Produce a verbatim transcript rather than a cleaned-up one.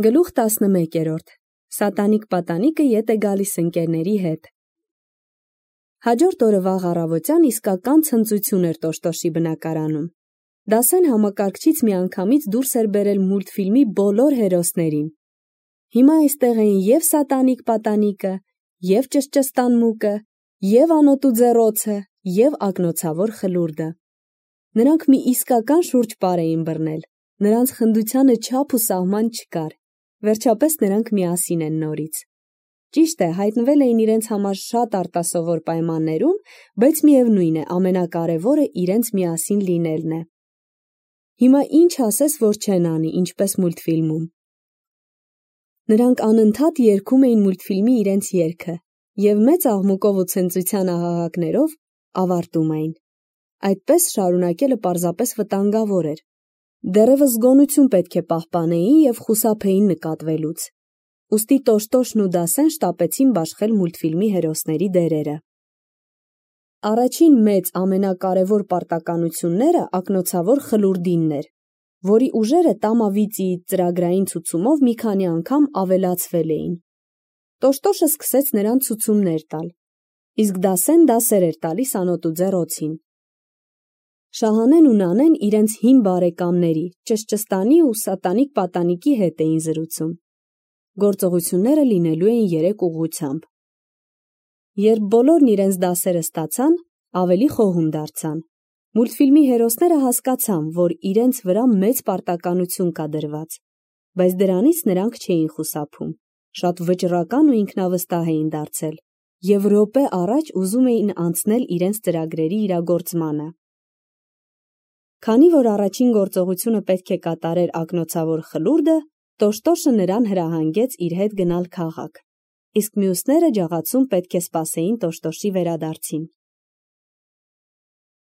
Գլուխ տասնմեկերորդ. Սատանիկ պատանիկը ետ է գալիս ընկերների հետ։ Հաջորդ օրը վաղ առավոտյան իսկական ցնծություն էր Տոշտոշի բնակարանում։ Դասեն համակարգչից միանգամից դուրս էր բերել մուլտֆիլմի բոլոր հերոսներին։ Հիմա այստեղ էին և սատանիկ պատանիկը, և ճշճստան մուկը, և անոթու ձեռոցը, և ակնոցավոր խլուրդը։ Նրանք մի իսկական շուրջպար էին բռնել, նրանց խնդությանը չափ ու սահման չկար, վերջապես նրանք միասին են նորից։ Ճիշտ է, հայտնվել էին իրենց համար շատ արտասովոր պայմաններում, բայց միևնույն է, ամենակարևորը իրենց միասին լինելն է։ Հիմա ինչ ասես, որ չեն անի, ինչպես մուլտֆիլմում։ Նրանք անընդհատ երգում էին մուլտֆիլմի իրենց երգը և մեծ աղմուկով ու ցնծության ահաղակներով ավարտում էին։ Այդպես շարունակելը պարզապես վտանգավոր էր։ Դեռևս զգոնություն պետք է պահպանեին և խուսափեին նկատվելուց։ Ուստի Տոշտոշն ու Դասեն շտապեցին բաշխել մուլտֆիլմի հերոսների դերերը։ Առաջին մեծ ամենակարևոր պարտականությունները ակնոցավոր խլուրդինն էր, որի ուժերը Տամավիծիի ծրագրային ցուցումով մի քանի անգամ ավելացվել էին։ Տոշտոշը սկսեց նրան ցուցումներ տալ, իսկ Դասեն դասեր էր տալիս անոթու ձեռոցին։ Շահանեն ու Նանեն իրենց հին բարեկամների՝ ճշճստանի ու սատանիկ պատանիկի հետ էին զրուցում։ Գործողությունները լինելու էին երեք ուղղությամբ։ Երբ բոլորն իրենց դասերը ստացան, ավելի խոհում դարձան։ Մուլտֆիլմի հերոսները հասկացան, որ իրենց վրա մեծ պարտականություն կա դրված, բայց դրանից նրանք չէին խուսափում, շատ վճռական ու ինքնավստահ էին դարձել և րոպե առաջ ուզում էին անցնել իրենց ծրագրերի իրագործմանը։ Քանի որ առաջին գործողությունը պետք է կատարեր ակնոցավոր խլուրդը, Տոշտոշը նրան հրահանգեց իր հետ գնալ քաղաք, իսկ մյուսները ջաղացում պետք է սպասեին Տոշտոշի վերադարձին։